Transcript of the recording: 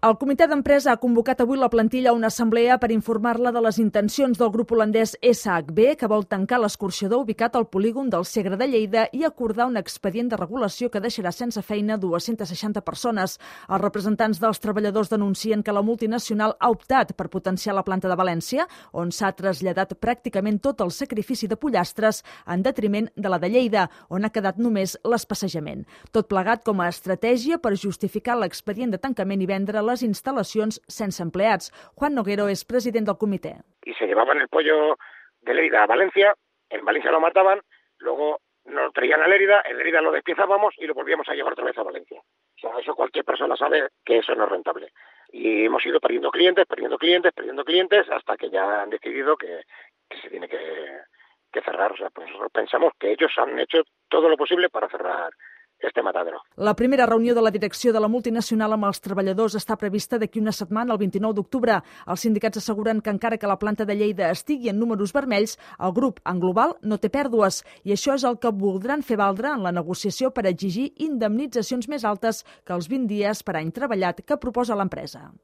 El comitè d'empresa ha convocat avui la plantilla a una assemblea per informar-la de les intencions del grup holandès SHB, que vol tancar l'escorxador ubicat al polígon del Segre de Lleida i acordar un expedient de regulació que deixarà sense feina 260 persones. Els representants dels treballadors denuncien que la multinacional ha optat per potenciar la planta de València, on s'ha traslladat pràcticament tot el sacrifici de pollastres en detriment de la de Lleida, on ha quedat només l'espassejament. Tot plegat com a estratègia per justificar l'expedient de tancament i vendre les instal·lacions sense empleats. Juan Noguero és president del comitè. Y se llevaban el pollo de Lérida a Valencia, en Valencia lo mataban, luego nos traían a Lérida, en Lérida lo despiezábamos y lo volvíamos a llevar otra vez a Valencia. O sea, eso cualquier persona sabe que eso no es rentable. Y hemos ido perdiendo clientes, hasta que ya han decidido que se tiene que cerrar. O sea, pues pensamos que ellos han hecho todo lo posible para cerrar este matadero. La primera reunió de la direcció de la multinacional amb els treballadors està prevista d'aquí una setmana, el 29 d'octubre. Els sindicats asseguren que encara que la planta de Lleida estigui en números vermells, el grup en global no té pèrdues i això és el que voldran fer valdre en la negociació per exigir indemnitzacions més altes que els 20 dies per any treballat que proposa l'empresa.